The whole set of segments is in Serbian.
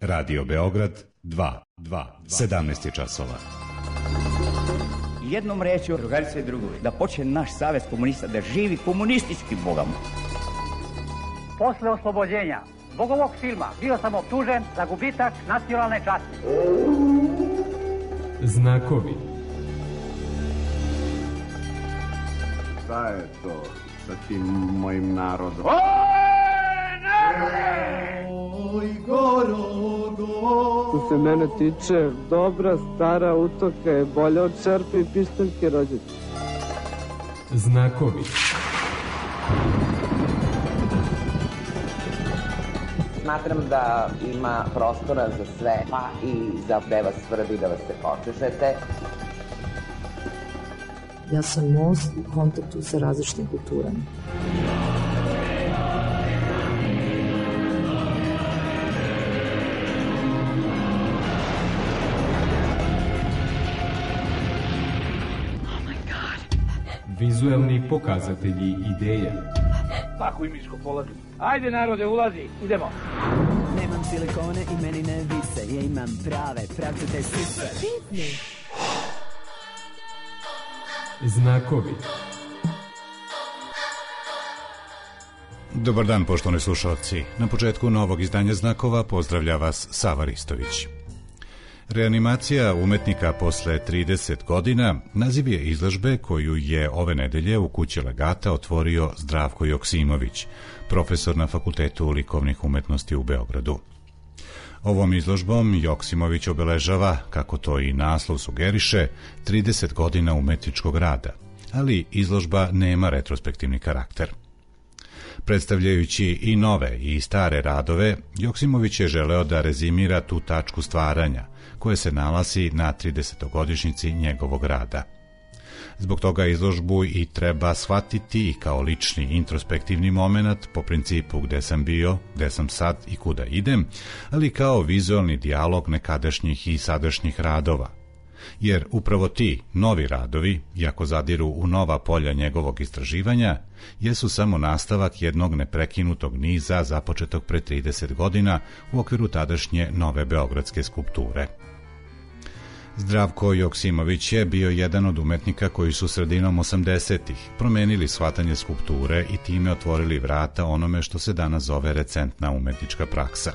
Radio Beograd 2, 17 je časova. Jednom rečju, drugarice i drugovi, da počne naš savez komunista, da živi komunistički bogom. Posle oslobođenja zbog ovog filma bio sam optužen za gubitak nacionalne časti. Znakovi. Šta je to sa tim mojim narodom? Oj, Gorogo! Što se mene tiče, dobra stara utoka je bolja od čerpe i pištaljke rođete. Znakovi. Smatram da ima prostora za sve, pa i za da vas tvrdi da vas se počešete. Ja sam most u kontaktu sa različitim kulturama. Vizuelni pokazatelji ideje. Tako imičko polazi. Ajde narode, ulazi, idemo. Nemam silikone i meni ne vise, ja imam prave, pravcate sise. Pitni. Znakovi. Dobar dan, poštovani slušalci. Na početku novog izdanja Znakova pozdravlja vas Sava Ristović. Reanimacija umetnika posle 30 godina naziv je izložbe koju je ove nedelje u kući Legata otvorio Zdravko Joksimović, profesor na Fakultetu likovnih umetnosti u Beogradu. Ovom izložbom Joksimović obeležava, kako to i naslov sugeriše, 30 godina umetničkog rada, ali izložba nema retrospektivni karakter. Predstavljajući i nove i stare radove, Joksimović je želeo da rezimira tu tačku stvaranja, koje se nalazi na 30-godišnjici njegovog rada. Zbog toga izložbu i treba shvatiti i kao lični introspektivni moment po principu gde sam bio, gde sam sad i kuda idem, ali kao vizualni dijalog nekadašnjih i sadašnjih radova. Jer upravo ti novi radovi, iako zadiru u nova polja njegovog istraživanja, jesu samo nastavak jednog neprekinutog niza započetog pre 30 godina u okviru tadašnje nove beogradske skulpture. Zdravko Joksimović je bio jedan od umetnika koji su sredinom 80-ih promenili shvatanje skulpture i time otvorili vrata onome što se danas zove recentna umetnička praksa.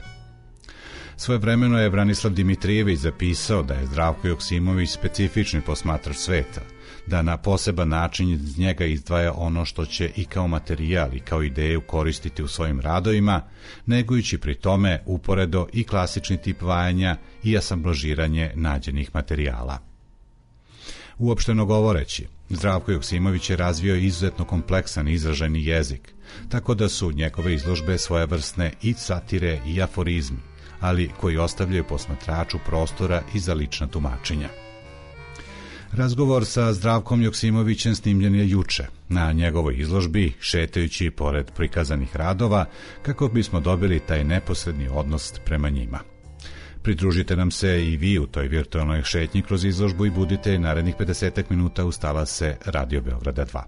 Svojevremeno je Branislav Dimitrijević zapisao da je Zdravko Joksimović specifični posmatrač sveta, da na poseban način iz njega izdvaja ono što će i kao materijal i kao ideju koristiti u svojim radovima, negujući pri tome uporedo i klasični tip vajanja i asamblažiranje nađenih materijala. Uopšteno govoreći, Zdravko Joksimović je razvio izuzetno kompleksan izražajni jezik, tako da su njegove izložbe svojevrsne i satire i aforizmi, ali koji ostavljaju posmatraču prostora i za lična tumačenja. Razgovor sa Zdravkom Joksimovićem snimljen je juče na njegovoj izložbi, šetajući pored prikazanih radova, kako bismo dobili taj neposredni odnos prema njima. Pridružite nam se i vi u toj virtualnoj šetnji kroz izložbu i budite narednih 50 minuta uz talase Radio Beograda 2.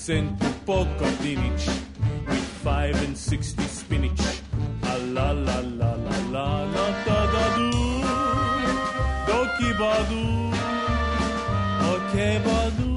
Sent to Pokatinic with 5 and 60 spinach. A la la la la la la da da do. Doki badu. Okay badu.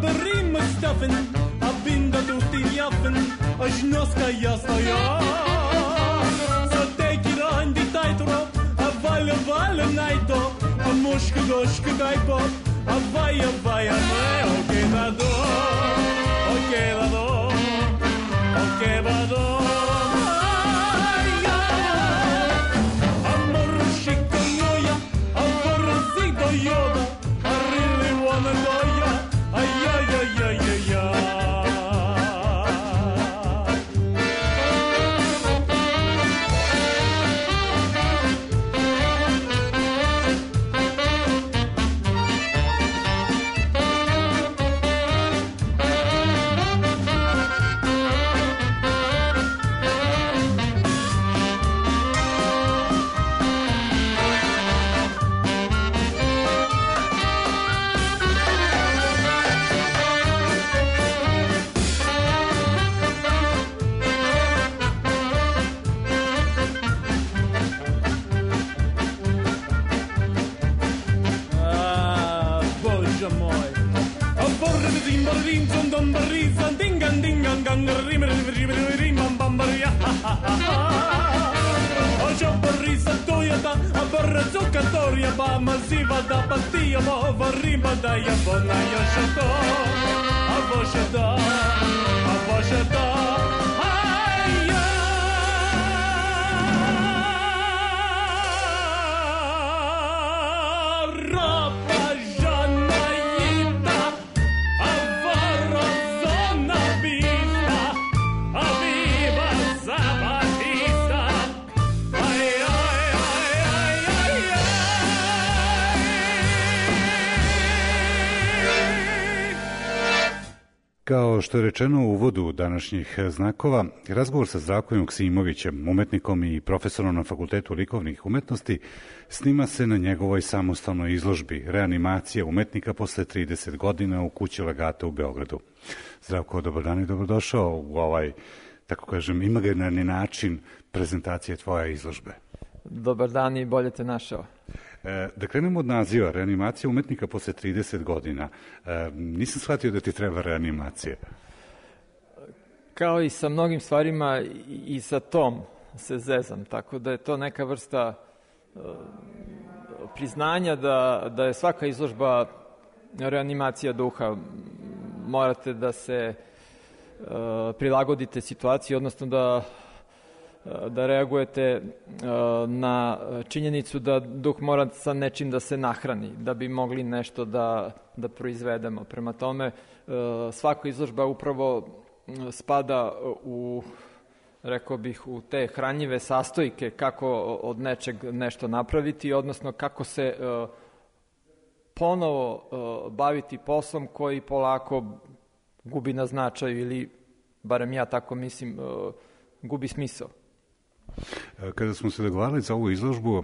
berrim stuffin, abbinda tutti gli affen, a snoska jastaja. Så teki randi tajtro, a valle najto, a muške doške daj pop, a vaja me, okej vado, okej vado. A morušika moja, a porozito joda, I really wanna know ya, ay. Da pastija mova rima da je bona još to, a bože da, aj ja. Ropa žana jita, a varozona bita, a viva Zapatista, aj. Kao što je rečeno u uvodu današnjih znakova, razgovor sa Zdravkom Joksimovićem, umetnikom i profesorom na Fakultetu likovnih umetnosti, snima se na njegovoj samostalnoj izložbi Reanimacija umetnika posle 30 godina u kući Legata u Beogradu. Zdravko, dobar dan i dobrodošao u ovaj, tako kažem, imaginarni način prezentacije tvoje izložbe. Dobar dan i bolje te našao. Da krenemo od naziva, Reanimacija umetnika posle 30 godina. Nisam shvatio da ti treba reanimacija. Kao i sa mnogim stvarima, i sa tom se zezam, tako da je to neka vrsta priznanja da je svaka izložba reanimacija duha. Morate da se prilagodite situaciji, odnosno da reagujete na činjenicu da duh mora sa nečim da se nahrani, da bi mogli nešto da proizvedemo. Prema tome, svaka izložba upravo spada u, rekao bih, u te hranjive sastojke kako od nečeg nešto napraviti, odnosno kako se ponovo baviti poslom koji polako gubi na značaju ili, barem ja tako mislim, gubi smisao. Kada smo se dogovarali za ovu izložbu,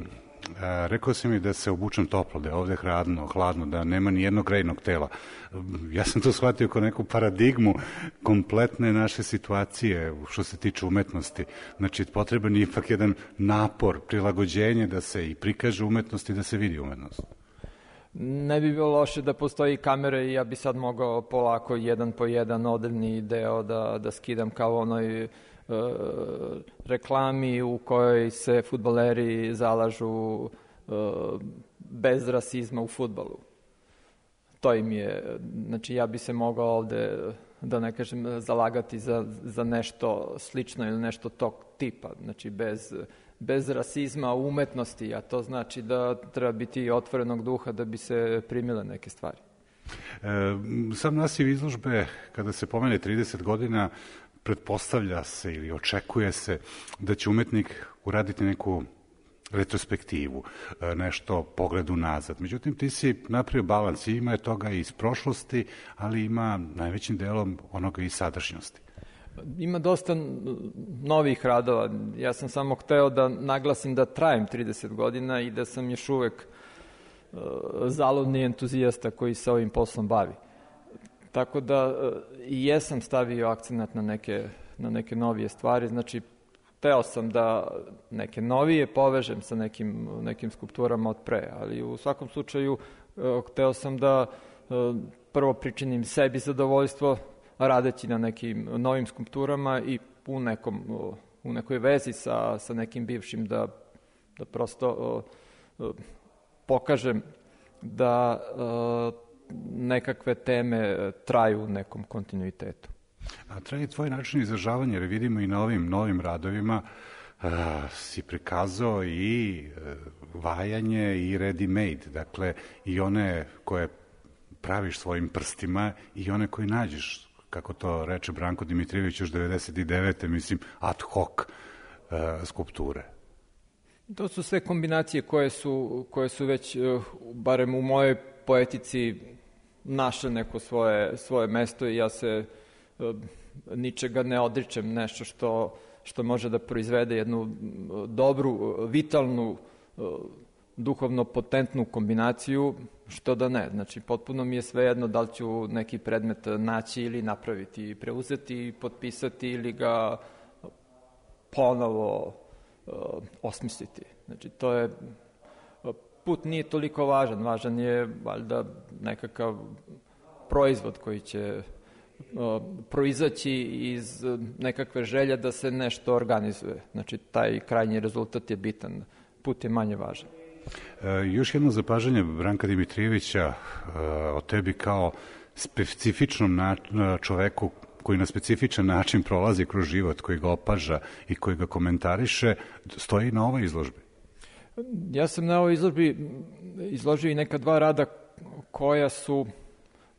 rekao si mi da se obučem toplo, da je ovde hladno, da nema ni jednog grejnog tela. Ja sam to shvatio kao neku paradigmu kompletne naše situacije što se tiče umetnosti. Znači, potreban je ipak jedan napor, prilagođenje da se i prikaže umetnost i da se vidi umetnost. Ne bi bilo loše da postoji kamere i ja bi sad mogao polako jedan po jedan odevni deo da skidam kao onoj reklami u kojoj se fudbaleri zalažu bez rasizma u fudbalu. To im je, znači ja bi se mogao ovde, da ne kažem, zalagati za nešto slično ili nešto tog tipa, znači bez rasizma u umetnosti, a to znači da treba biti otvorenog duha da bi se primile neke stvari. Sam naziv izložbe, kada se pomene 30 godina, pretpostavlja se ili očekuje se da će umetnik uraditi neku retrospektivu, nešto pogledu nazad. Međutim, ti si napravio balans, ima je toga iz prošlosti, ali ima najvećim delom onoga iz sadašnjosti. Ima dosta novih radova. Ja sam samo hteo da naglasim da trajem 30 godina i da sam još uvek zaludni entuzijasta koji se ovim poslom bavi. Tako da i jesam stavio akcenat na neke novije stvari. Znači, hteo sam da neke novije povežem sa nekim skulpturama od pre, ali u svakom slučaju hteo sam da prvo pričinim sebi zadovoljstvo radeći na nekim novim skulpturama i u nekoj vezi sa nekim bivšim da prosto pokažem da nekakve teme traju u nekom kontinuitetu. A traje tvoj način izražavanja, jer vidimo i na ovim novim radovima si prikazao i vajanje i ready-made, dakle i one koje praviš svojim prstima i one koje nađeš, kako to reče Branko Dimitrijević još 99. mislim, ad hoc skulpture. To su sve kombinacije koje su već, barem u mojoj poetici, našle neko svoje mesto i ja se ničega ne odričem, nešto što može da proizvede jednu dobru, vitalnu, duhovno potentnu kombinaciju, što da ne. Znači, potpuno mi je svejedno da li ću neki predmet naći ili napraviti, preuzeti, potpisati ili ga ponovo osmisliti. Znači, to je, put nije toliko važan je valjda nekakav proizvod koji će proizaći iz nekakve želje da se nešto organizuje. Znači, taj krajnji rezultat je bitan, put je manje važan. Još jedno zapažanje Branka Dimitrijevića o tebi kao specifičnom čoveku koji na specifičan način prolazi kroz život, koji ga opaža i koji ga komentariše, stoji na ovoj izložbi. Ja sam na ovoj izložbi izložio i neka dva rada koja su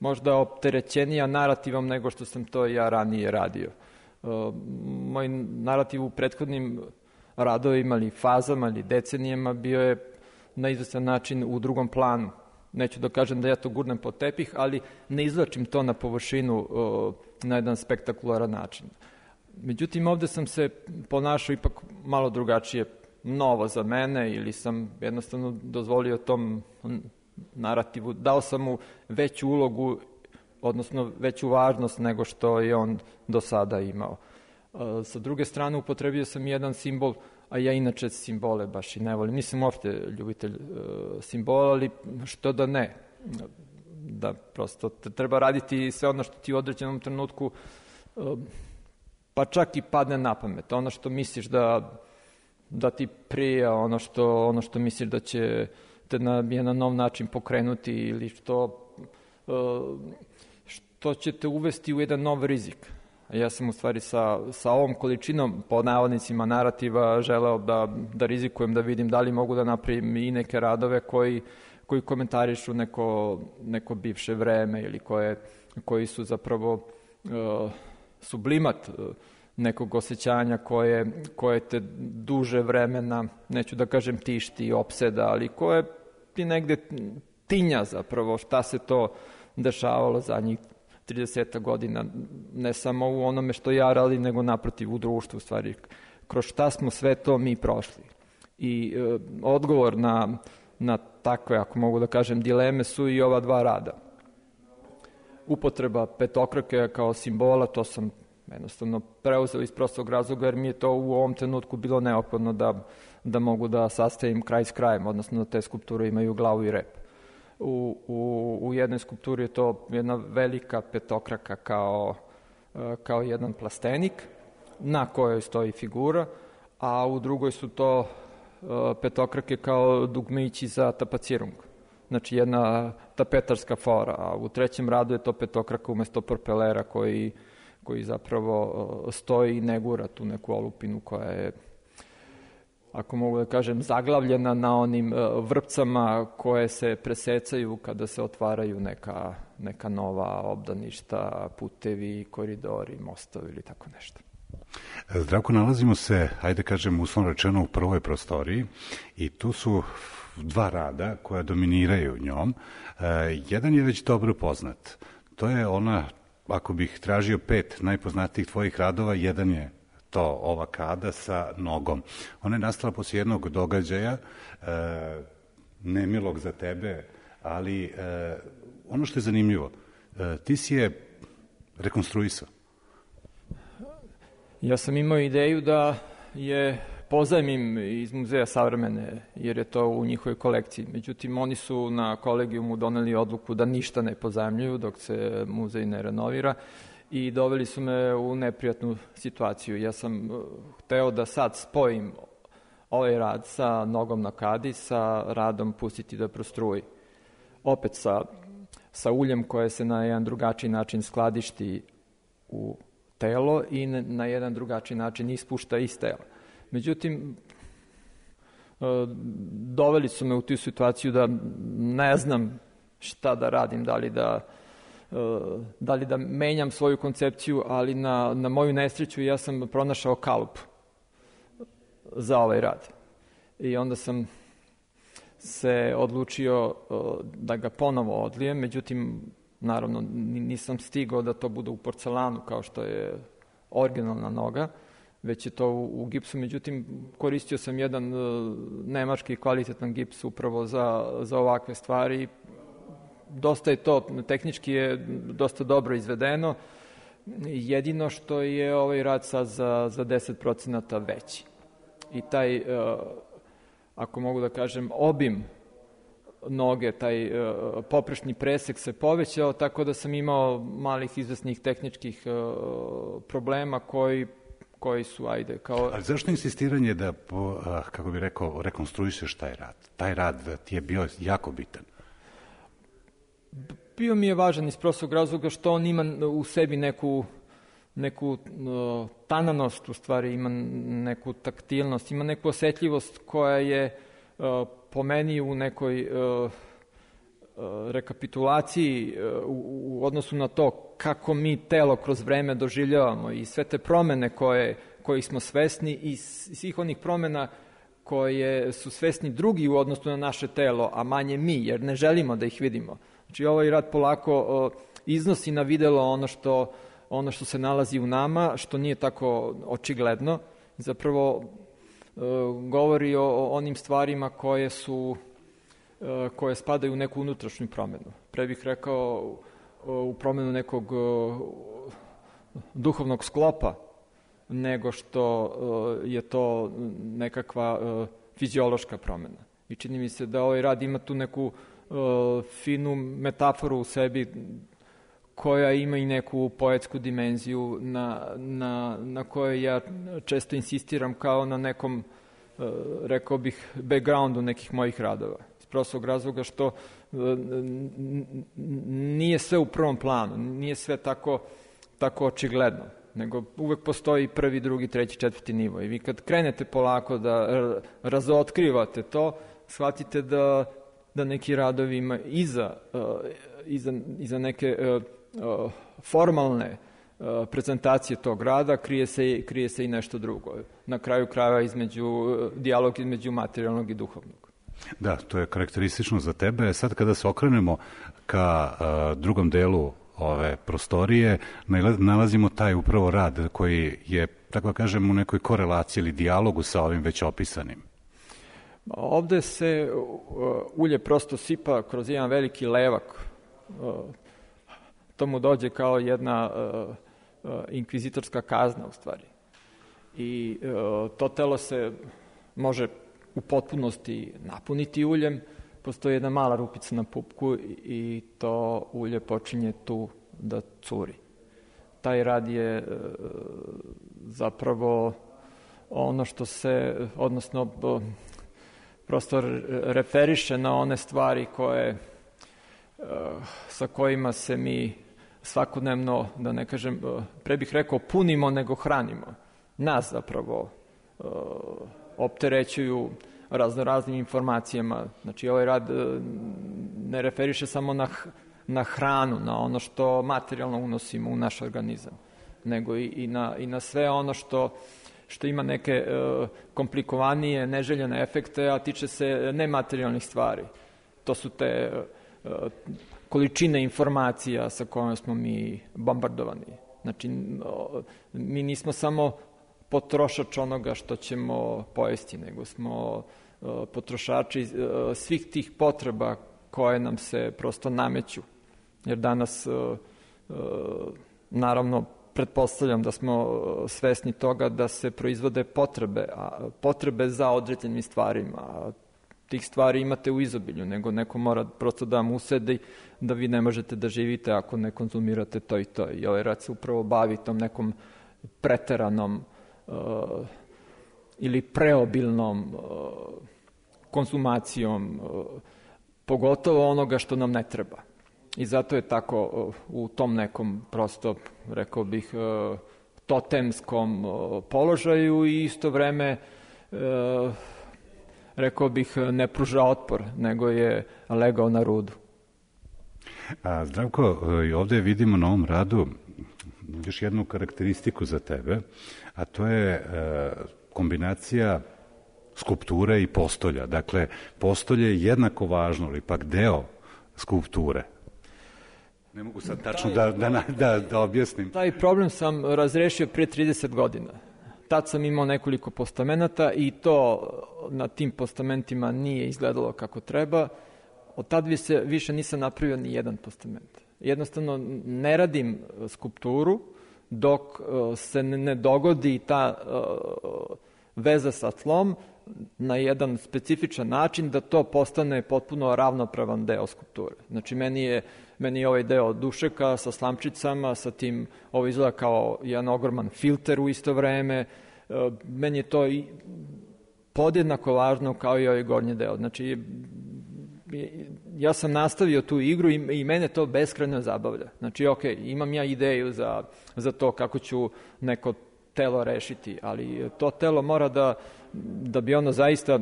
možda opterećenija narativom nego što sam to ja ranije radio. Moj narativ u prethodnim radovima ili fazama ili decenijama bio je na izvestan način u drugom planu. Neću da kažem da ja to gurnem pod tepih, ali ne izvlačim to na površinu na jedan spektakularan način. Međutim, ovde sam se ponašao ipak malo drugačije, novo za mene, ili sam jednostavno dozvolio tom narativu, dao sam mu veću ulogu, odnosno veću važnost nego što je on do sada imao. Sa druge strane, upotrebio sam jedan simbol, a ja inače simbole baš i ne volim. Nisam uopšte ljubitelj simbola, ali što da ne. Da prosto treba raditi sve ono što ti u određenom trenutku pa čak i padne na pamet. Ono što misliš da ti prija, ono što misliš da će te na jedan nov način pokrenuti ili što će te uvesti u jedan nov rizik. Ja sam u stvari sa ovom količinom, po navodnicima, narativa želeo da rizikujem, da vidim da li mogu da napravim i neke radove koji komentarišu neko bivše vreme ili koji su zapravo sublimat nekog osjećanja koje te duže vremena, neću da kažem tišti, opseda, ali koje ti negde tinja zapravo šta se to dešavalo zadnjih 30 godina, ne samo u onome što ja radim, nego naprotiv u društvu, u stvari, kroz šta smo sve to mi prošli. I odgovor na takve, ako mogu da kažem, dileme su i ova dva rada. Upotreba petokrake kao simbola, to sam jednostavno preuzeo iz prostog razloga, jer mi je to u ovom trenutku bilo neophodno da mogu da sastavim kraj s krajem, odnosno da te skulpture imaju glavu i rep. U jednoj skulpturi je to jedna velika petokraka kao jedan plastenik na kojoj stoji figura, a u drugoj su to petokrake kao dugmići za tapacirung. Znači jedna tapetarska fora, a u trećem radu je to petokraka umesto propelera koji zapravo stoji i negura tu neku olupinu koja je, ako mogu da kažem, zaglavljena na onim vrpcama koje se presecaju kada se otvaraju neka nova obdaništa, putevi, koridori, mostovi ili tako nešto. Zdravko, nalazimo se, ajde kažem, uslovno rečeno u prvoj prostoriji i tu su dva rada koja dominiraju njom. Jedan je već dobro poznat. To je ona, ako bih tražio 5 najpoznatijih tvojih radova, jedan je to ova kada sa nogom. Ona je nastala poslije jednog događaja, nemilog za tebe, ali ono što je zanimljivo, ti si je rekonstruisao. Ja sam imao ideju da je pozajmim iz Muzeja savremene, jer je to u njihovoj kolekciji. Međutim, oni su na kolegijumu doneli odluku da ništa ne pozajmljuju dok se muzej ne renovira i doveli su me u neprijatnu situaciju. Ja sam hteo da sad spojim ovaj rad sa Nogom na kadi, sa radom Pustiti da prostruji. Opet sa uljem koje se na jedan drugačiji način skladišti u telo i na jedan drugačiji način ispušta iz tela. Međutim, doveli su me u tu situaciju da ne znam šta da radim, da li da menjam svoju koncepciju, ali na moju nesreću ja sam pronašao kalup za ovaj rad. I onda sam se odlučio da ga ponovo odlijem, međutim, naravno, nisam stigao da to bude u porcelanu kao što je originalna noga, već je to u gipsu. Međutim, koristio sam jedan nemački kvalitetan gips upravo za ovakve stvari. Dosta je to, tehnički je dosta dobro izvedeno. Jedino što je ovaj rad sad za 10% veći. I taj, ako mogu da kažem, obim noge, taj poprečni presek se povećao, tako da sam imao malih izvesnih tehničkih problema koji su, ajde, kao... Ali zašto insistiranje da, kako bih rekao, rekonstruišeš taj rad? Taj rad ti je bio jako bitan. Bio mi je važan iz prostog razloga što on ima u sebi neku tananost, u stvari ima neku taktilnost, ima neku osetljivost koja je po meni u nekoj rekapitulaciji u odnosu na to kako mi telo kroz vreme doživljavamo i sve te promene kojih smo svesni i svih onih promena koje su svesni drugi u odnosu na naše telo, a manje mi, jer ne želimo da ih vidimo. Znači, ovaj rad polako iznosi na videlo ono što se nalazi u nama, što nije tako očigledno. Zapravo govori o onim stvarima koje spadaju u neku unutrašnju promenu. Pre bih rekao u promenu nekog duhovnog sklopa, nego što je to nekakva fiziološka promena. I čini mi se da ovaj rad ima tu neku finu metaforu u sebi koja ima i neku poetsku dimenziju na kojoj ja često insistiram kao na nekom, rekao bih, backgroundu nekih mojih radova. Iz prostog razloga što nije sve u prvom planu, nije sve tako očigledno, nego uvek postoji prvi, drugi, treći, četvrti nivo. I vi kad krenete polako da razotkrivate to, shvatite da neki radovi ima iza neke formalne prezentacije tog rada krije se i nešto drugo. Na kraju krajeva dijalog između materijalnog i duhovnog. Da, to je karakteristično za tebe. Sad kada se okrenemo ka drugom delu ove prostorije, nalazimo taj upravo rad koji je, tako da kažem, u nekoj korelaciji ili dijalogu sa ovim već opisanim. Ovde se ulje prosto sipa kroz jedan veliki levak. To mu dođe kao jedna inkvizitorska kazna u stvari. I to telo se može u potpunosti napuniti uljem, postoji jedna mala rupica na pupku i to ulje počinje tu da curi. Taj rad je zapravo ono što se, odnosno prosto referiše na one stvari sa kojima se mi svakodnevno, da ne kažem, pre bih rekao punimo nego hranimo. Nas zapravo opterećuju raznoraznim informacijama. Znači, ovaj rad ne referiše samo na hranu, na ono što materijalno unosimo u naš organizam, nego i na sve ono što ima neke komplikovanije, neželjene efekte, a tiče se nematerijalnih stvari. To su te količine informacija sa kojima smo mi bombardovani. Znači, mi nismo samo potrošač onoga što ćemo pojesti, nego smo potrošači svih tih potreba koje nam se prosto nameću. Jer danas, naravno, pretpostavljam da smo svesni toga da se proizvode potrebe za određenim stvarima. Tih stvari imate u izobilju, nego neko mora prosto da vam usedi da vi ne možete da živite ako ne konzumirate to i to. I ovaj rad se upravo bavi tom nekom preteranom ili preobilnom konzumacijom, pogotovo onoga što nam ne treba. I zato je tako u tom nekom prosto, rekao bih, totemskom položaju i isto vreme, rekao bih, ne pruža otpor, nego je legao na rudu. Zdravko, ovdje vidimo na ovom radu još jednu karakteristiku za tebe, a to je kombinacija skulpture i postolja. Dakle, postolje je jednako važno, ali ipak deo skulpture. Ne mogu sad tačno da objasnim. Taj problem sam razrešio prije 30 godina. Tad sam imao nekoliko postamenata i to na tim postamentima nije izgledalo kako treba. Od tad više nisam napravio ni jedan postament. Jednostavno ne radim skulpturu dok se ne dogodi ta veza sa tlom na jedan specifičan način da to postane potpuno ravnopravan deo skulpture. Znači, meni je ovaj deo dušeka sa slamčicama, sa tim, ovo izgleda kao jedan ogroman filter u isto vreme. Meni je to i podjednako važno kao i ovaj gornji deo. Znači, ja sam nastavio tu igru i mene to beskrajno zabavlja. Znači, ok, imam ja ideju za to kako ću neko telo rešiti, ali to telo mora da bi ono zaista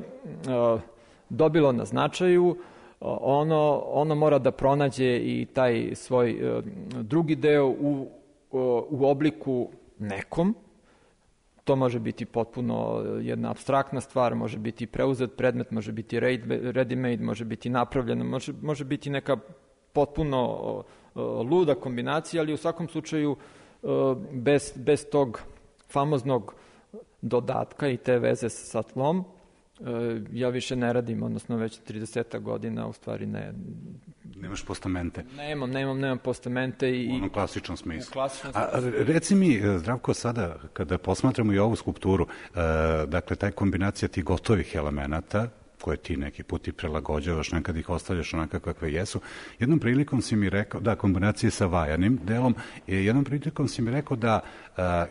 dobilo na značaju, ono mora da pronađe i taj svoj drugi deo u obliku nekom. To može biti potpuno jedna apstraktna stvar, može biti preuzet predmet, može biti ready-made, može biti napravljeno, može biti neka potpuno luda kombinacija, ali u svakom slučaju bez tog famoznog dodatka i te veze sa tlom, ja više ne radim, odnosno već 30 godina u stvari ne. Nemaš postamente? Nemam postamente. U onom klasičnom smislu. Reci mi, Zdravko, sada kada posmatramo i ovu skulpturu, dakle, taj kombinacija tih gotovih elemenata, koje ti neki put i prelagođavaš, nekad ih ostavljaš onaka kakve jesu. Jednom prilikom si mi rekao, da, kombinacije sa vajanim delom, jednom prilikom si mi rekao da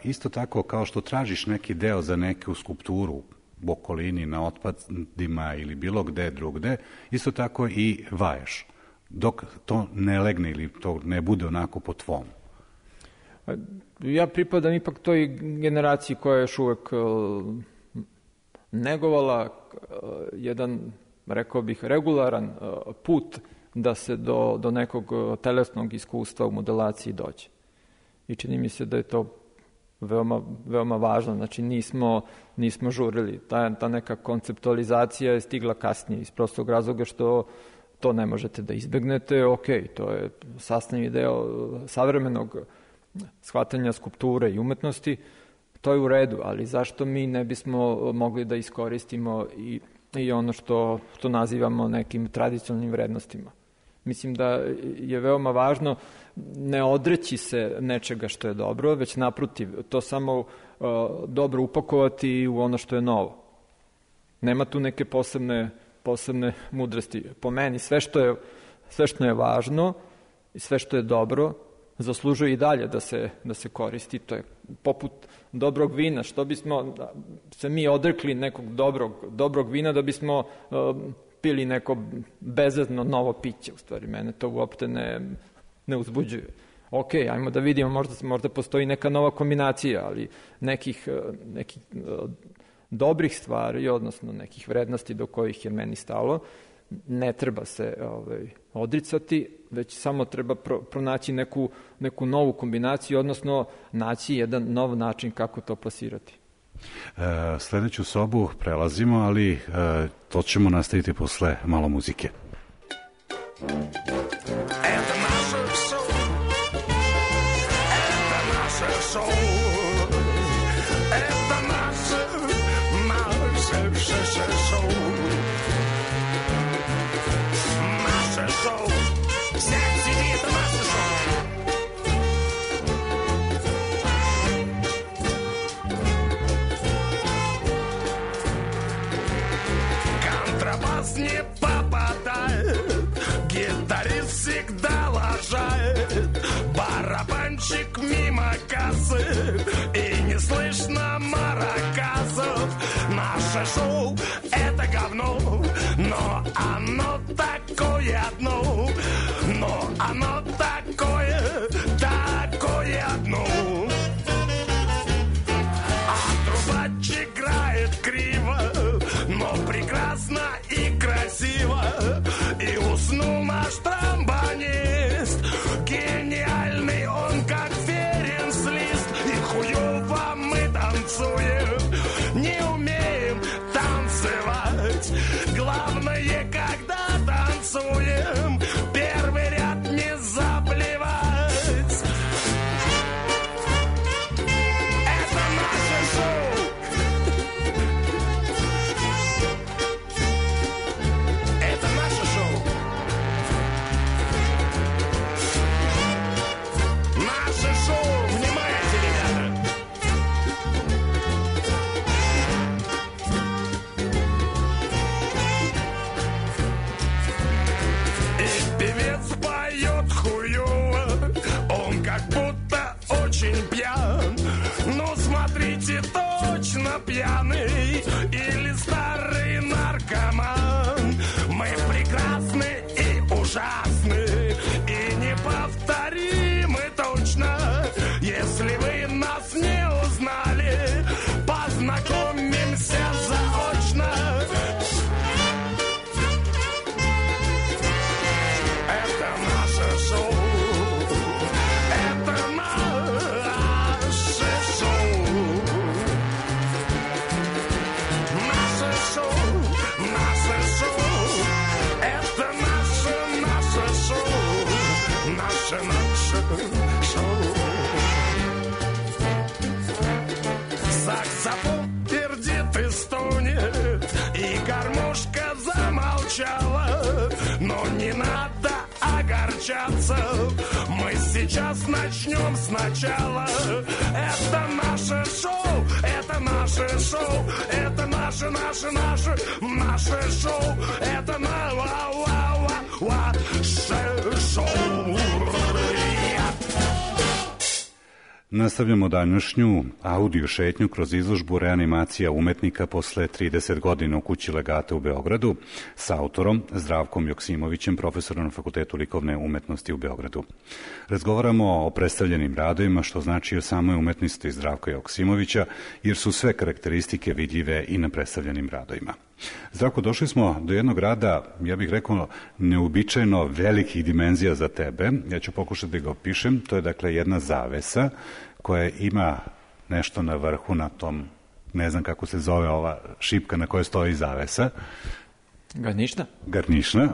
isto tako kao što tražiš neki deo za neku skulpturu u okolini, na otpadima ili bilo gde drugde, isto tako i vajaš, dok to ne legne ili to ne bude onako po tvom. Ja pripadam ipak toj generaciji koja je još uvek negovala jedan, rekao bih, regularan put da se do nekog telesnog iskustva u modelaciji dođe. I čini mi se da je to veoma, veoma važno. Znači, nismo žurili. Ta neka konceptualizacija je stigla kasnije iz prostog razloga što to ne možete da izbegnete. Ok, to je sastavni deo savremenog shvatanja skulpture i umetnosti. To je u redu, ali zašto mi ne bismo mogli da iskoristimo i ono što nazivamo nekim tradicionalnim vrednostima? Mislim da je veoma važno ne odreći se nečega što je dobro, već naprotiv, to samo dobro upakovati u ono što je novo. Nema tu neke posebne mudrosti. Po meni, sve što je važno i sve što je dobro, zaslužuje i dalje da se koristi. To je poput dobrog vina. Što bismo se mi odrekli nekog dobrog vina da bismo pili neko bezvezno novo piće. U stvari, mene to uopšte ne uzbuđuje. Ok, ajmo da vidimo, možda postoji neka nova kombinacija, ali nekih dobrih stvari, odnosno nekih vrednosti do kojih je meni stalo, ne treba se odricati, već samo treba pronaći neku novu kombinaciju, odnosno naći jedan nov način kako to plasirati. Sledeću sobu prelazimo, ali to ćemo nastaviti posle malo muzike. не попадает, гитарист всегда лажает, барабанщик мимо кассы, и не слышно маракасов. Наше шоу — это говно, но оно такое одно, но оно такое одно. А трубач играет криво, но прекрасно и красиво. И уснул наш тромбонист, гениальный он, как Ференц-Лист. И хуёво мы танцуем, не умеем танцевать. Главное, когда танцуем, первый ряд не заплевать. Это наше шоу. Это наше шоу. Наше шоу. Внимайте, ребята. И певец поет хуёво, он как будто очень пьян. Ну, смотрите, точно пьяный или старый наркоман. Мы прекрасны и ужасны, и неповторимы точно. Если вы нас не узнали, познакомимся заочно. Это наше шоу. Это наше шоу. Наше шоу. Наше шоу. Это наше шоу. Наше шоу. Саксофон пердит и стонет, и гармошка замолчала. Но не надо огорчаться, мы сейчас начнем сначала. Это наше шоу, это наше шоу, это наше шоу, это наше шоу. Nastavljamo današnju audio šetnju kroz izložbu Reanimacija umetnika posle 30 godina u kući Legata u Beogradu sa autorom Zdravkom Joksimovićem, profesorom na Fakultetu likovne umetnosti u Beogradu. Razgovaramo o predstavljenim radovima, što znači o samoj umetnosti Zdravka Joksimovića, jer su sve karakteristike vidljive i na predstavljenim radovima. Zdravko, došli smo do jednog rada, ja bih rekao, neobičajno velikih dimenzija za tebe. Ja ću pokušati da ga opišem. To je dakle jedna zavesa koja ima nešto na vrhu, na tom, ne znam kako se zove ova šipka na kojoj stoji zavesa. Garnišna. Garnišna,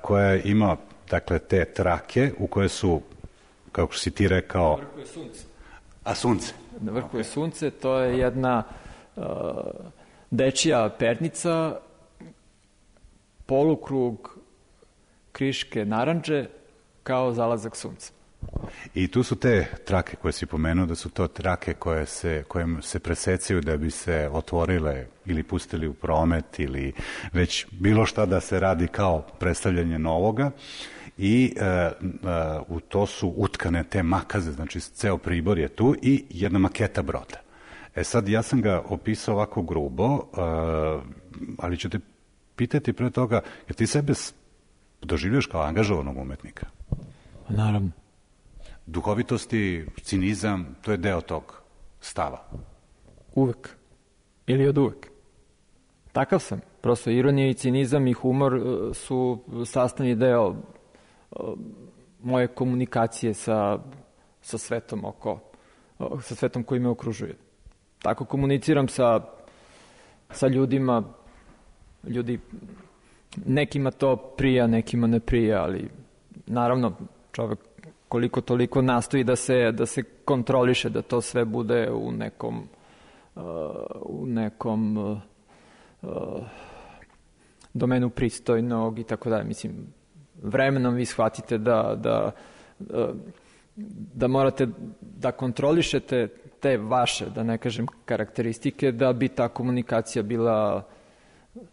koja ima dakle te trake u koje su, kako si ti rekao... Na vrhu je sunce. A sunce? Na vrhu je sunce, to je jedna dečija pernica, polukrug kriške narandže kao zalazak sunca. I tu su te trake koje si pomenuo, da su to trake koje se presecaju da bi se otvorile ili pustili u promet ili već bilo šta da se radi kao predstavljanje novoga. I u to su utkane te makaze, znači ceo pribor je tu i jedna maketa broda. E sad, ja sam ga opisao ovako grubo, ali ću te pitati pre toga, jer ti sebe doživljaš kao angažovanog umetnika? Naravno. Duhovitosti, cinizam, to je deo tog stava? Uvek. Ili od uvek. Takav sam. Prosto ironija i cinizam i humor su sastavni deo moje komunikacije sa svetom sa svetom koji me okružuje. Tako komuniciram sa ljudima. Ljudi, nekima to prija, nekima ne prija, ali naravno čovek koliko toliko nastoji da se kontroliše, da to sve bude u nekom domenu pristojnog i tako dalje. Mislim, vremenom vi shvatite da morate da kontrolišete te vaše, da ne kažem, karakteristike, da bi ta komunikacija bila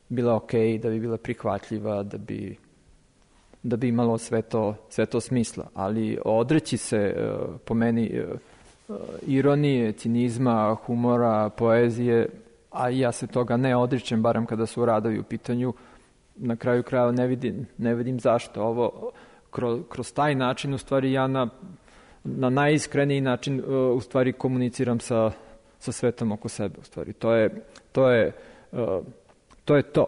bila okej, da bi bila prihvatljiva, da bi imalo sve to smisla. Ali odreći se, po meni, ironije, cinizma, humora, poezije, a ja se toga ne odričem, barem kada su radovi u pitanju, na kraju krajeva ne vidim zašto. Ovo, kroz taj način, u stvari, ja na najiskreniji način, u stvari, komuniciram sa svetom oko sebe. U stvari, to je to.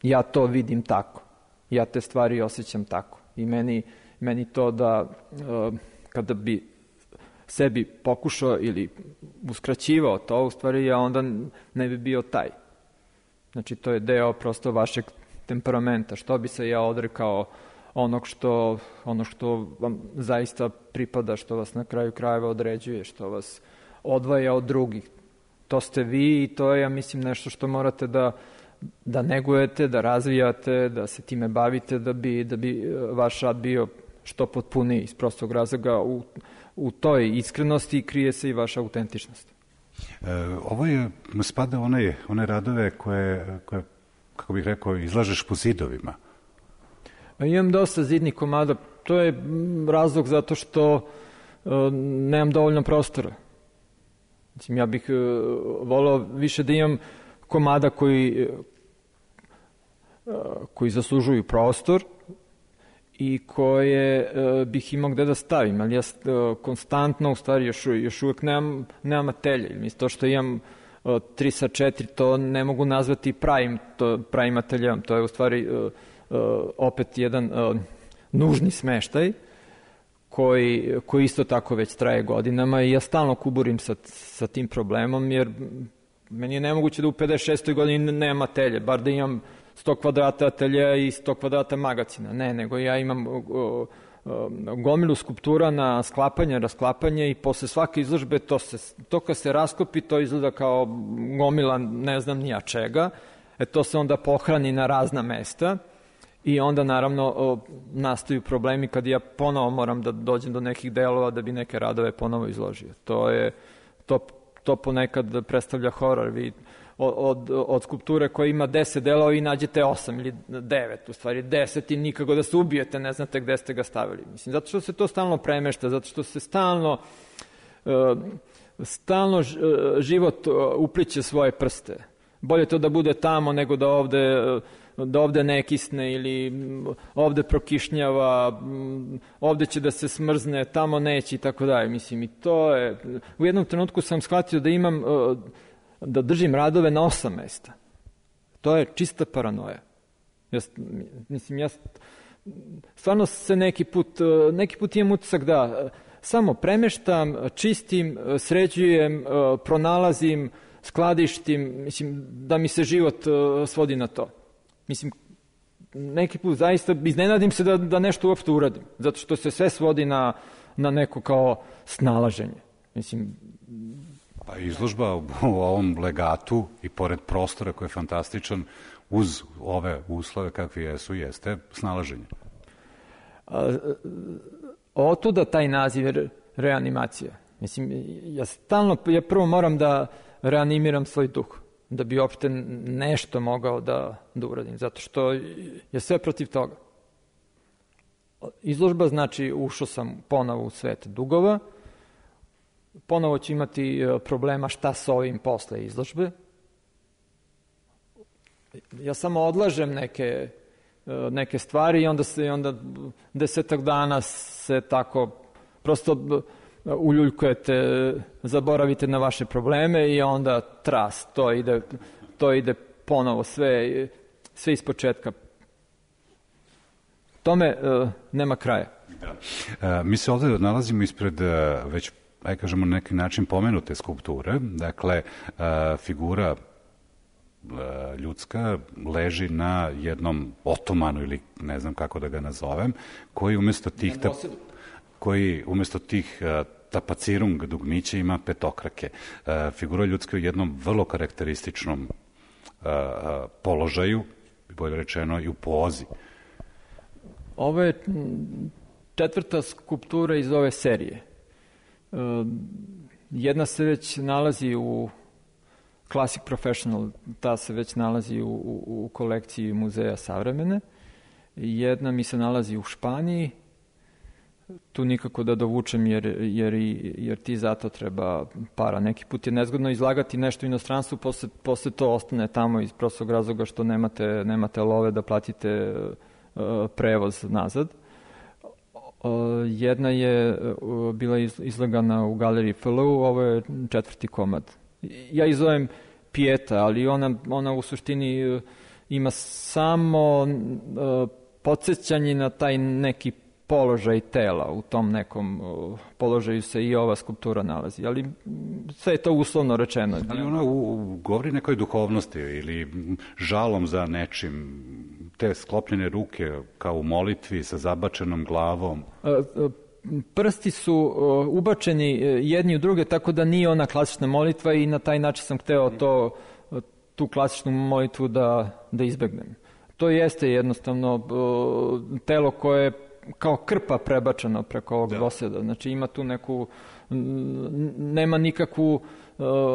Ja to vidim tako. Ja te stvari osjećam tako. I meni to da kada bi sebi pokušao ili uskraćivao to, u stvari ja onda ne bi bio taj. Znači, to je deo prosto vašeg temperamenta. Što bi se ja odrekao ono što vam zaista pripada, što vas na kraju krajeva određuje, što vas odvaja od drugih. To ste vi i to je, ja mislim, nešto što morate da negujete, da razvijate, da se time bavite, da bi vaš rad bio što potpuniji. Iz prostog razloga u toj iskrenosti krije se i vaša autentičnost. Ovo spada one radove koje, kako bih rekao, izlažeš po zidovima. Imam dosta zidnih komada. To je razlog zato što nemam dovoljno prostora. Mislim, ja bih voleo više da imam komada koji zaslužuju prostor i koje bih imao gde da stavim, ali ja konstantno, u stvari, još uvek nemam atelje. Mislim, to što imam 3x4, to ne mogu nazvati pravim ateljom. To je, u stvari, opet jedan nužni smeštaj koji isto tako već traje godinama i ja stalno kuburim sa tim problemom, jer meni je nemoguće da u 56. godini nemam atelje, bar da imam 100 kvadrata atelja i 100 kvadrata magacina. Ne, nego ja imam gomilu skulptura na sklapanje, rasklapanje i posle svake izložbe to kad se raskopi, to izgleda kao gomila ne znam nija čega. To se onda pohrani na razna mesta i onda naravno nastaju problemi kad ja ponovo moram da dođem do nekih delova da bi neke radove ponovo izložio. To ponekad predstavlja horor. Vi od skulpture koja ima 10 delova i nađete 8 ili 9, u stvari 10 i nikako da se ubijete, ne znate gde ste ga stavili. Mislim, zato što se to stalno premešta, zato što se stalno život upliće svoje prste. Bolje to da bude tamo nego da ovde ne kisne ili ovde prokišnjava, ovde će da se smrzne, tamo neće i tako dalje. Mislim, i to je... U jednom trenutku sam shvatio da držim radove na 8 mesta. To je čista paranoja. Ja stvarno se neki put imam utisak da samo premeštam, čistim, sređujem, pronalazim, skladištim, mislim, da mi se život svodi na to. Mislim, neki put zaista iznenadim se da nešto uopšte uradim, zato što se sve svodi na neko kao snalaženje. Mislim... Pa izložba u ovom legatu i pored prostora koji je fantastičan, uz ove uslove kakvi jeste snalaženje. Otuda taj naziv reanimacija. Mislim, ja prvo moram da reanimiram svoj duh, da bi uopšte nešto mogao da uradim, zato što je sve protiv toga. Izložba znači ušao sam ponovo u svet dugova, ponovo ću imati problema šta s ovim posle izložbe. Ja samo odlažem neke stvari i onda 10 dana se tako prosto uljuljkujete, zaboravite na vaše probleme i onda tras, to ide ponovo, sve ispočetka. Tome nema kraja. Da. Mi se ovde nalazimo ispred već, aj kažemo, na neki način pomenute skulpture. Dakle, figura ljudska leži na jednom otomanu ili ne znam kako da ga nazovem, koji umesto tih tapacirung dugmića ima petokrake. Figura ljudska u jednom vrlo karakterističnom položaju, bolje rečeno i u pozi. Ovo je 4. skulptura iz ove serije. Jedna se već nalazi Classic Professional, ta se već nalazi u kolekciji Muzeja savremene. Jedna mi se nalazi u Španiji, tu nikako da dovučem jer ti zato treba para. Neki put je nezgodno izlagati nešto u inostranstvu, posle to ostane tamo iz prostog razloga što nemate love da platite prevoz nazad. Jedna je bila izlagana u galeriji FLU, ovo je 4. komad. Ja izovem Pieta, ali ona u suštini ima samo podsjećanje na taj neki položaj tela. U tom nekom položaju se i ova skulptura nalazi, ali sve je to uslovno rečeno. Ali ona govori nekoj duhovnosti ili žalom za nečim, te sklopljene ruke kao u molitvi sa zabačenom glavom. Prsti su ubačeni jedni u druge, tako da nije ona klasična molitva i na taj način sam hteo tu klasičnu molitvu da izbegnem. To jeste jednostavno telo koje je kao krpa prebačeno preko ovog dvoseda. Znači ima tu nema nikakvu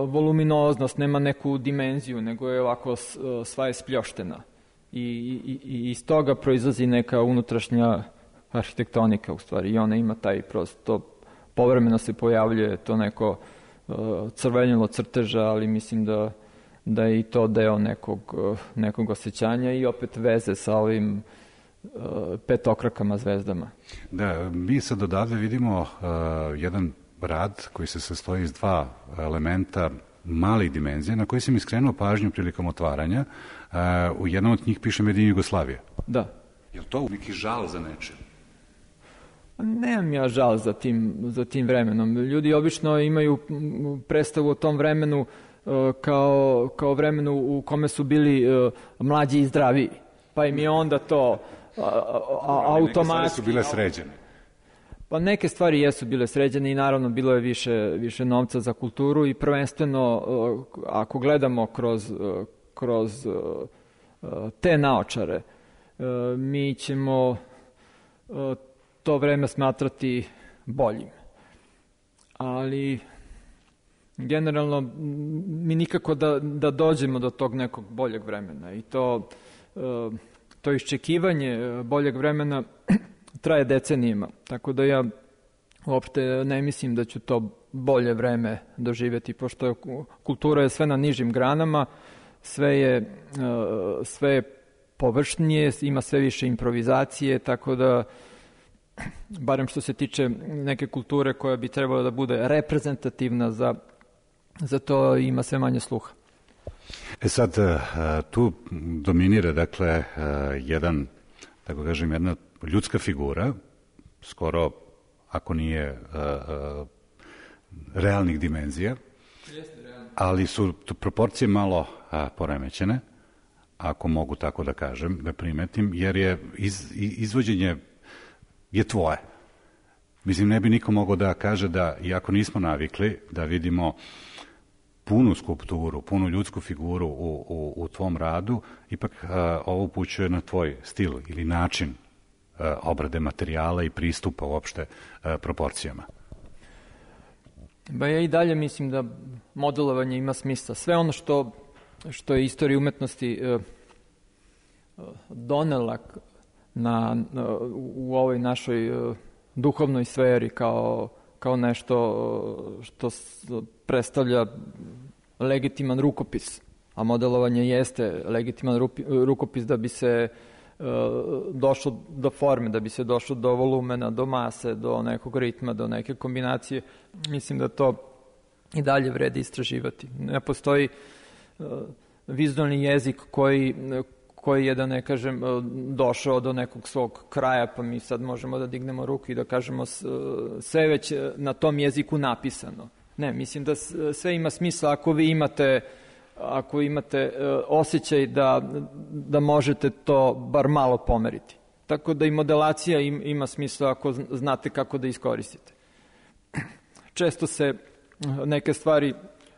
voluminoznost, nema neku dimenziju, nego je ovako sva je spljoštena. I iz toga proizlazi neka unutrašnja arhitektonika u stvari i ona ima taj prosto, povremeno se pojavljuje to neko crvenilo crteža, ali mislim da je i to deo nekog osjećanja i opet veze sa ovim petokrakama zvezdama. Da, mi sad odavde vidimo jedan rad koji se sastoji iz 2 elementa malih dimenzija na koji sam iskrenuo pažnju prilikom otvaranja. U jednom od njih piše Made in Jugoslavia. Da. Je li to neki žal za nečem? Nemam ja žal za tim vremenom. Ljudi obično imaju predstavu o tom vremenu kao vremenu u kome su bili mlađi i zdraviji. Pa im je onda to automatski... Neke stvari su bile sređene. Pa neke stvari jesu bile sređene i naravno bilo je više novca za kulturu i prvenstveno ako gledamo kroz te naočare, mi ćemo to vreme smatrati boljim. Ali generalno mi nikako da dođemo do tog nekog boljeg vremena i to iščekivanje boljeg vremena traje decenijima, tako da ja uopšte ne mislim da ću to bolje vreme doživjeti, pošto kultura je sve na nižim granama, sve je površnije, ima sve više improvizacije, tako da barem što se tiče neke kulture koja bi trebala da bude reprezentativna za to ima sve manje sluha. Sad, tu dominira, dakle, jedna ljudska figura, skoro, ako nije realnih dimenzija, ali su proporcije malo poremećene, ako mogu tako da kažem, da primetim, jer je izvođenje je tvoje. Mislim, ne bi niko mogao da kaže da, iako nismo navikli da vidimo punu skulpturu, punu ljudsku figuru u tvom radu, ipak ovo upućuje na tvoj stil ili način obrade materijala i pristupa uopšte proporcijama. Ba ja i dalje mislim da modelovanje ima smisla. Sve ono što je istorija umetnosti donela u ovoj našoj duhovnoj sferi kao nešto što predstavlja legitiman rukopis, a modelovanje jeste legitiman rukopis da bi se došlo do forme, da bi se došlo do volumena, do mase, do nekog ritma, do neke kombinacije. Mislim da to i dalje vredi istraživati. Ne postoji vizualni jezik koji je, da ne kažem, došao do nekog svog kraja, pa mi sad možemo da dignemo ruku i da kažemo sve već na tom jeziku napisano. Ne, mislim da sve ima smisla ako imate osjećaj da možete to bar malo pomeriti. Tako da i modelacija ima smisla ako znate kako da iskoristite. Često se neke stvari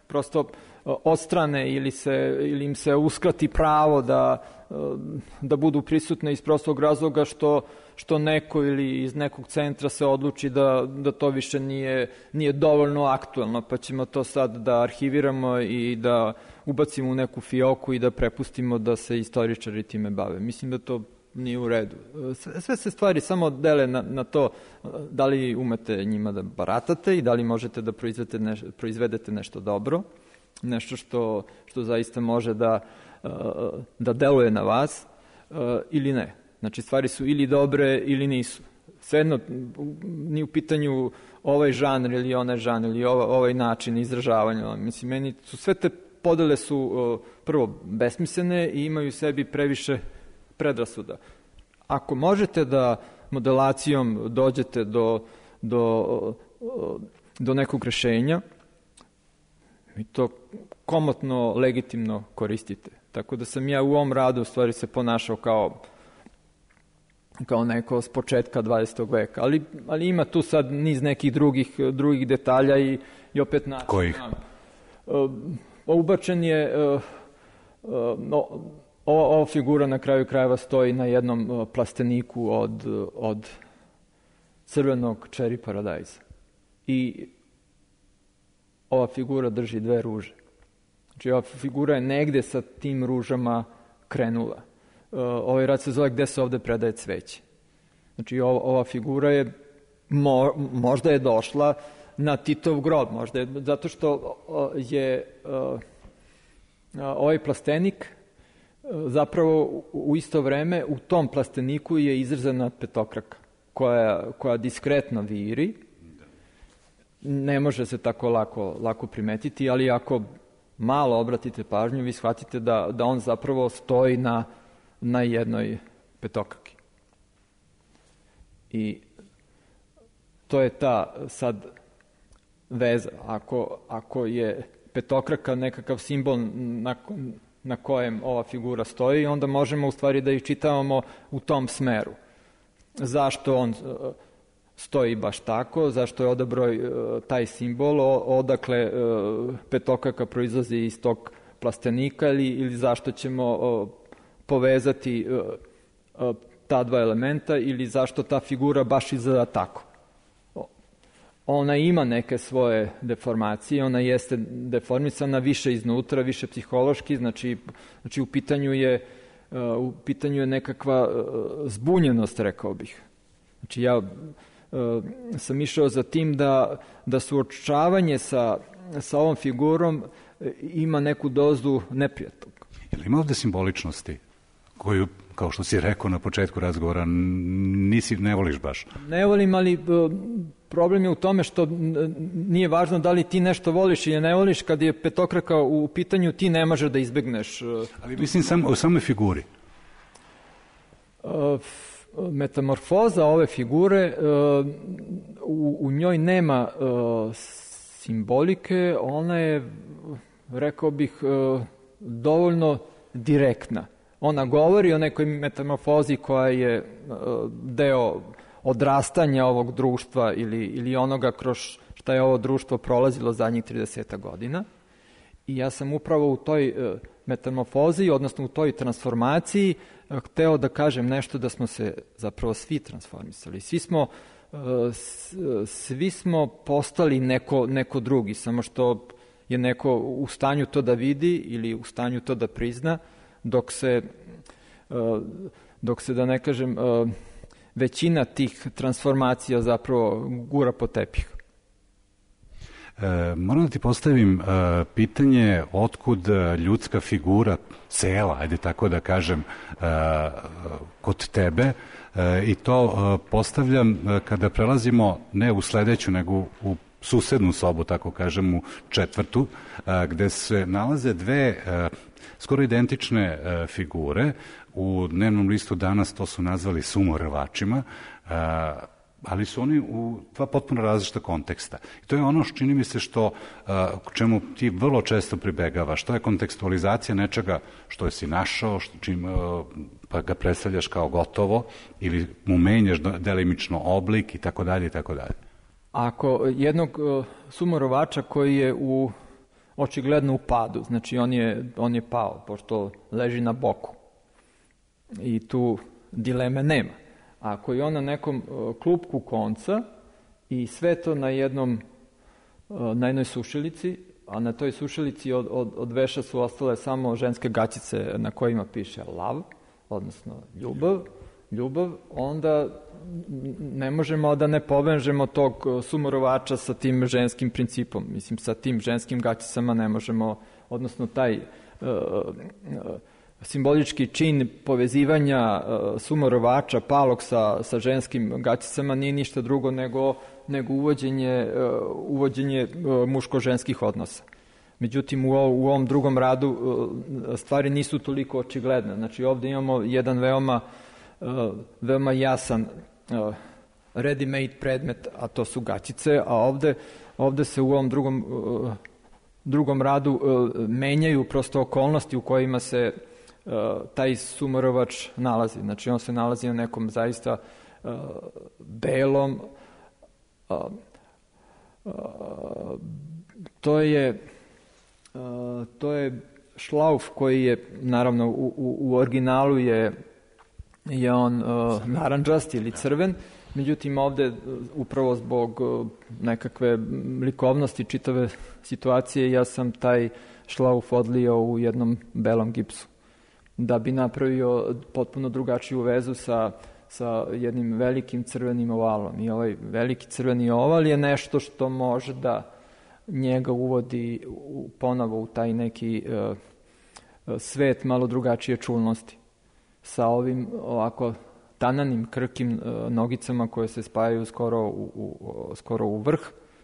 prosto odstrane ili im se uskrati pravo da budu prisutne iz prostog razloga što neko ili iz nekog centra se odluči da to više nije dovoljno aktuelno, pa ćemo to sad da arhiviramo i da ubacimo u neku fioku i da prepustimo da se istoričari time bave. Mislim da to nije u redu. Sve se stvari samo dele na to da li umete njima da baratate i da li možete da proizvedete nešto dobro, nešto što zaista može da deluje na vas ili ne. Znači, stvari su ili dobre ili nisu. Svejedno, nije u pitanju ovaj žanr ili onaj žanr ili ovaj način izražavanja. Mislim, meni su sve te podele su prvo besmislene i imaju u sebi previše predrasuda. Ako možete da modelacijom dođete do nekog rešenja, vi to komotno, legitimno koristite. Tako da sam ja u ovom radu u stvari se ponašao kao neko s početka 20. veka. Ali ima tu sad niz nekih drugih detalja i opet način. Kojih? Ubačen je... Ova figura na kraju krajeva stoji na jednom plasteniku od crvenog cherry paradajza. I ova figura drži 2 ruže. Znači, ova figura je negde sa tim ružama krenula. Ovaj rad se zove Gde se ovde predaje cveće. Znači, ova figura je možda je došla na Titov grob, možda je, zato što je ovaj plastenik zapravo u isto vreme u tom plasteniku je izrezana petokraka koja diskretno viri. Ne može se tako lako primetiti, ali ako malo obratite pažnju, vi shvatite da on zapravo stoji na jednoj petokraki. I to je ta sad veza. Ako je petokraka nekakav simbol na kojem ova figura stoji, onda možemo u stvari da iščitavamo u tom smeru. Zašto on stoji baš tako, zašto je odabrao taj simbol, odakle petokraka proizlazi iz tog plastenika ili zašto ćemo povezati ta 2 elementa ili zašto ta figura baš izgleda tako. Ona ima neke svoje deformacije, ona jeste deformisana više iznutra, više psihološki, znači u pitanju je nekakva zbunjenost, rekao bih. Znači ja sam išao za tim da suočavanje sa ovom figurom ima neku dozu neprijatnog. Je li ima ovde simboličnosti koju, kao što si rekao na početku razgovora, ne voliš baš? Ne volim, ali problem je u tome što nije važno da li ti nešto voliš ili ne voliš, kad je petokraka u pitanju ti ne možeš da izbegneš. Ali mislim o samoj figuri. Metamorfoza ove figure, u njoj nema simbolike, ona je, rekao bih, dovoljno direktna. Ona govori o nekoj metamorfozi koja je deo odrastanja ovog društva ili onoga kroz šta je ovo društvo prolazilo zadnjih 30 godina. I ja sam upravo u toj metamorfozi, odnosno u toj transformaciji, hteo da kažem nešto da smo se zapravo svi transformisali. Svi smo postali neko drugi, samo što je neko u stanju to da vidi ili u stanju to da prizna, dok se da ne kažem, većina tih transformacija zapravo gura po tepih. Moram da ti postavim pitanje otkud ljudska figura cela, ajde tako da kažem, kod tebe, i to postavljam kada prelazimo ne u sledeću, nego u susednu sobu, tako kažem, u 4., gde se nalaze 2 skoro identične figure. U dnevnom listu danas to su nazvali sumorvačima, ali su oni u 2 potpuno različita konteksta. I to je ono što čini mi se čemu ti vrlo često pribegavaš. To je kontekstualizacija nečega što si našao, pa ga predstavljaš kao gotovo ili mu menjaš delimično oblik i tako dalje i tako dalje. Ako jednog sumorovača koji je u očigledno u padu, znači on je pao, pošto leži na boku. I tu dileme nema. Ako je on na nekom klupku konca i sve to na jednoj sušilici, a na toj sušilici od veša su ostale samo ženske gaćice na kojima piše love, odnosno ljubav, onda ne možemo da ne povežemo tog sumorovača sa tim ženskim principom. Mislim, sa tim ženskim gaćicama ne možemo, odnosno taj simbolički čin povezivanja sumorovača palog sa ženskim gaćicama nije ništa drugo nego uvođenje muško-ženskih odnosa. Međutim, u ovom drugom radu stvari nisu toliko očigledne. Znači, ovde imamo jedan veoma jasan ready-made predmet, a to su gaćice, a ovde se u ovom drugom radu menjaju prosto okolnosti u kojima se taj sumorovač nalazi. Znači, on se nalazi na nekom zaista belom, to je šlauf koji je, naravno, u originalu je on narandžast ili crven, međutim ovde upravo zbog nekakve likovnosti čitave situacije ja sam taj šlauf odlio u jednom belom gipsu da bi napravio potpuno drugačiju vezu sa jednim velikim crvenim ovalom. I ovaj veliki crveni oval je nešto što može da njega uvodi ponovo u taj neki svet malo drugačije čulnosti. Sa ovim ovako tananim, krkim nogicama koje se spajaju skoro u vrh,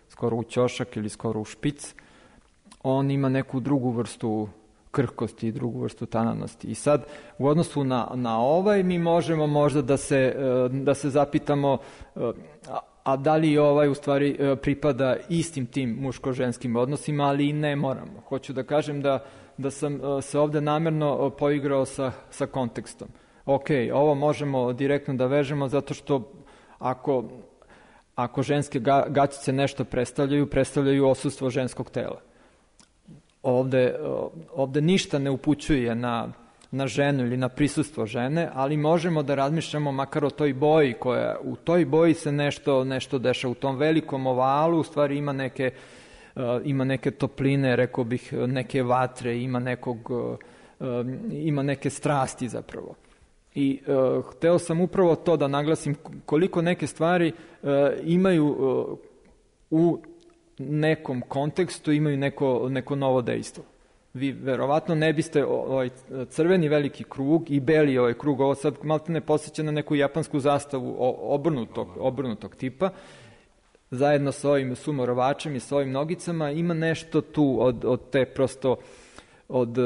skoro u ćošak ili skoro u špic, on ima neku drugu vrstu krhkosti i drugu vrstu tananosti. I sad, u odnosu na ovaj, mi možemo možda da se zapitamo a da li ovaj u stvari pripada istim tim muško-ženskim odnosima, ali i ne moramo. Hoću da kažem da sam se ovde namerno poigrao sa kontekstom. Ok, ovo možemo direktno da vežemo zato što ako ženske gaćice nešto predstavljaju odsustvo ženskog tela. Ovde ništa ne upućuje na ženu ili na prisustvo žene, ali možemo da razmišljamo makar o toj boji koja u toj boji se nešto dešava. U tom velikom ovalu u stvari ima neke topline, rekao bih, neke vatre, ima neke strasti zapravo. I hteo sam upravo to da naglasim koliko neke stvari imaju u nekom kontekstu, imaju neko novo dejstvo. Vi verovatno ne biste ovaj crveni veliki krug i beli ovaj krug, ovo sad malte ne podsjeća na neku japansku zastavu obrnutog tipa, zajedno sa ovim sumorovačem i sa ovim nogicama, ima nešto tu od te prosto od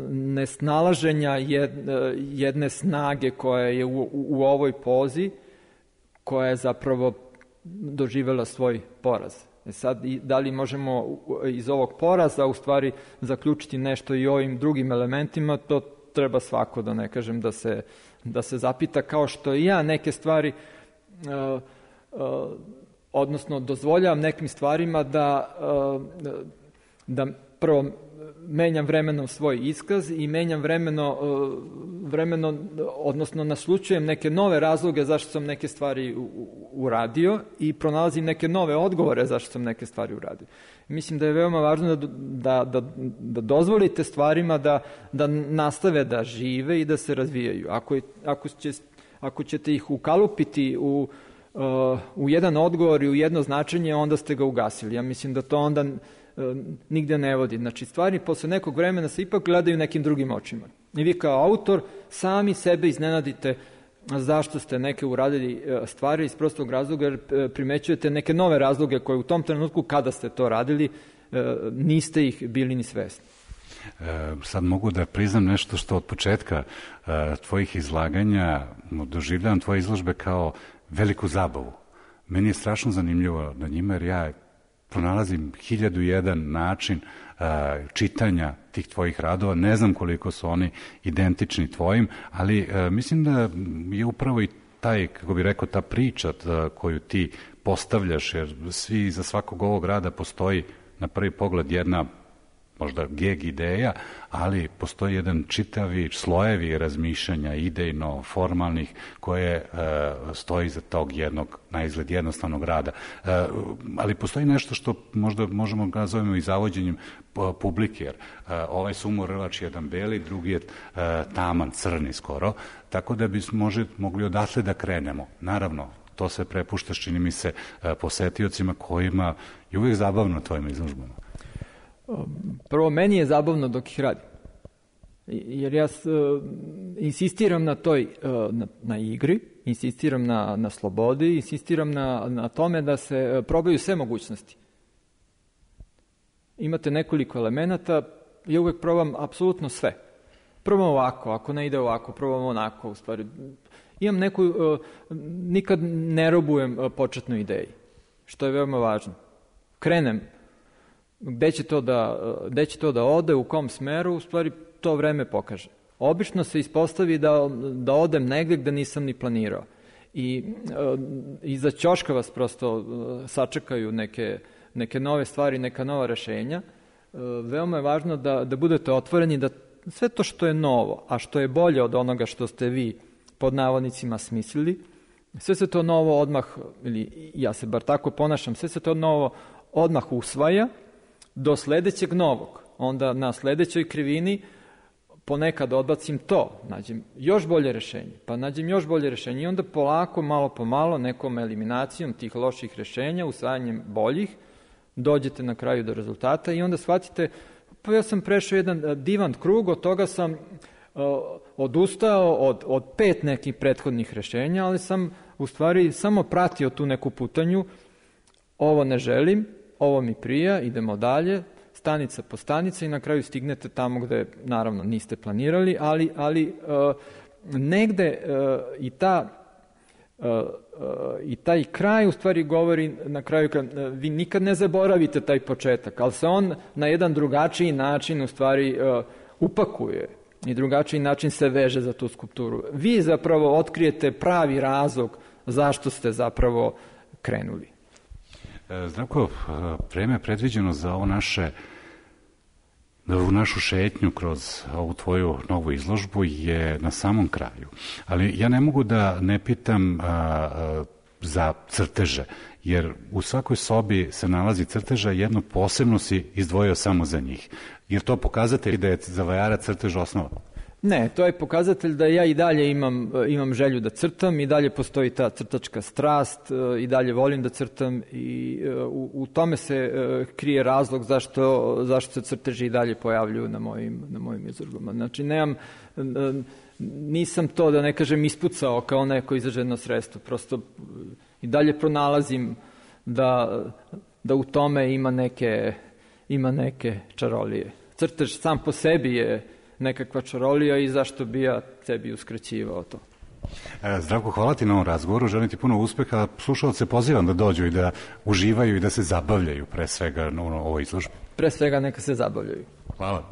nesnalaženja jedne snage koja je u ovoj pozi, koja je zapravo doživela svoj poraz. Sad, da li možemo iz ovog poraza u stvari zaključiti nešto i ovim drugim elementima, to treba svako, da ne kažem, da se zapita, kao što i ja neke stvari, odnosno dozvoljavam nekim stvarima da prvo menjam vremenom svoj iskaz i menjam vremeno, odnosno naslučujem neke nove razloge zašto sam neke stvari uradio i pronalazim neke nove odgovore zašto sam neke stvari uradio. Mislim da je veoma važno da dozvolite stvarima da nastave da žive i da se razvijaju. Ako ćete ih ukalupiti u jedan odgovor i u jedno značenje, onda ste ga ugasili. Ja mislim da to onda nigde ne vodi. Znači, stvari posle nekog vremena se ipak gledaju nekim drugim očima. I vi kao autor sami sebe iznenadite zašto ste neke uradili stvari iz prostog razloga, jer primećujete neke nove razloge koje u tom trenutku kada ste to radili niste ih bili ni svesni. Sad mogu da priznam nešto što od početka tvojih izlaganja doživljavam tvoje izložbe kao veliku zabavu. Meni je strašno zanimljivo na njima, jer ja pronalazim 1001 način čitanja tih tvojih radova. Ne znam koliko su oni identični tvojim, ali mislim da je upravo i taj, kako bi rekao, ta priča koju ti postavljaš, jer za svakog ovog rada postoji na prvi pogled jedna možda geg ideja, ali postoji jedan čitavi slojevi razmišljanja idejno, formalnih, koje stoji za tog jednog, na izgled jednostavnog rada. Ali postoji nešto što možda možemo da nazovemo i zavođenjem publike, jer ovaj sumorvač jedan beli, drugi je taman, crni skoro, tako da bismo mogli odatle da krenemo. Naravno, to se prepušta, čini mi se, posetiocima kojima je uvijek zabavno tvojim izložbama. Prvo, meni je zabavno dok ih radim. Jer ja insistiram na toj, na igri, insistiram na slobodi, insistiram na tome da se probaju sve mogućnosti. Imate nekoliko elemenata, ja uvek probam apsolutno sve. Probam ovako, ako ne ide ovako, probam onako, u stvari. Imam neku, nikad ne robujem početnoj ideji, što je veoma važno. Krenem, gde će to da ode, u kom smeru, u stvari to vreme pokaže. Obično se ispostavi da odem negde gde nisam ni planirao. I iza ćoška vas prosto sačekaju neke nove stvari, neka nova rešenja. Veoma je važno da budete otvoreni, da sve to što je novo, a što je bolje od onoga što ste vi pod navodnicima smislili, sve se to novo odmah, ili ja se bar tako ponašam, sve se to novo odmah usvaja do sledećeg novog. Onda na sledećoj krivini ponekad odbacim to, nađem još bolje rešenje, pa nađem još bolje rešenje i onda polako, malo po malo, nekom eliminacijom tih loših rešenja, usvajanjem boljih, dođete na kraju do rezultata i onda shvatite, pa ja sam prešao jedan divan krug, od toga sam odustao od 5 nekih prethodnih rešenja, ali sam u stvari samo pratio tu neku putanju, ovo ne želim, ovo mi prija, idemo dalje, stanica po stanica i na kraju stignete tamo gde, naravno, niste planirali, ali negde i taj kraj u stvari govori na kraju, vi nikad ne zaboravite taj početak, ali se on na jedan drugačiji način u stvari upakuje i drugačiji način se veže za tu skulpturu. Vi zapravo otkrijete pravi razlog zašto ste zapravo krenuli. Zdravko, vreme predviđeno za ovo našu šetnju kroz ovu tvoju novu izložbu je na samom kraju. Ali ja ne mogu da ne pitam za crteže, jer u svakoj sobi se nalazi crteža, jedno posebno si izdvojio samo za njih. Jer to pokazatelj da je za vajara crtež osnova? Ne, to je pokazatelj da ja i dalje imam želju da crtam, i dalje postoji ta crtačka strast, i dalje volim da crtam i u tome se krije razlog zašto se crteži i dalje pojavljuju na mojim izložbama. Znači, nisam to, da ne kažem, ispucao kao neko izraženo sredstvo, prosto i dalje pronalazim da u tome ima neke čarolije. Crtež sam po sebi je nekakva čarolija i zašto bi ja sebi uskraćivao to. Zdravko, hvala ti na ovom razgovoru, želim ti puno uspeha. Slušalce pozivam da dođu i da uživaju i da se zabavljaju, pre svega na ovoj izložbi. Pre svega neka se zabavljaju. Hvala.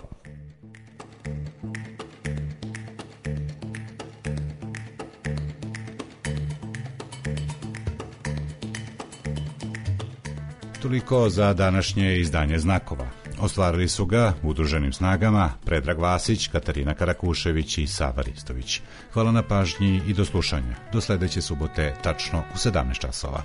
Toliko za današnje izdanje Znakova. Ostvarili su ga udruženim snagama Predrag Vasić, Katarina Karakušević i Sava Ristović. Hvala na pažnji i do slušanja. Do sledeće subote, tačno u 17 časova.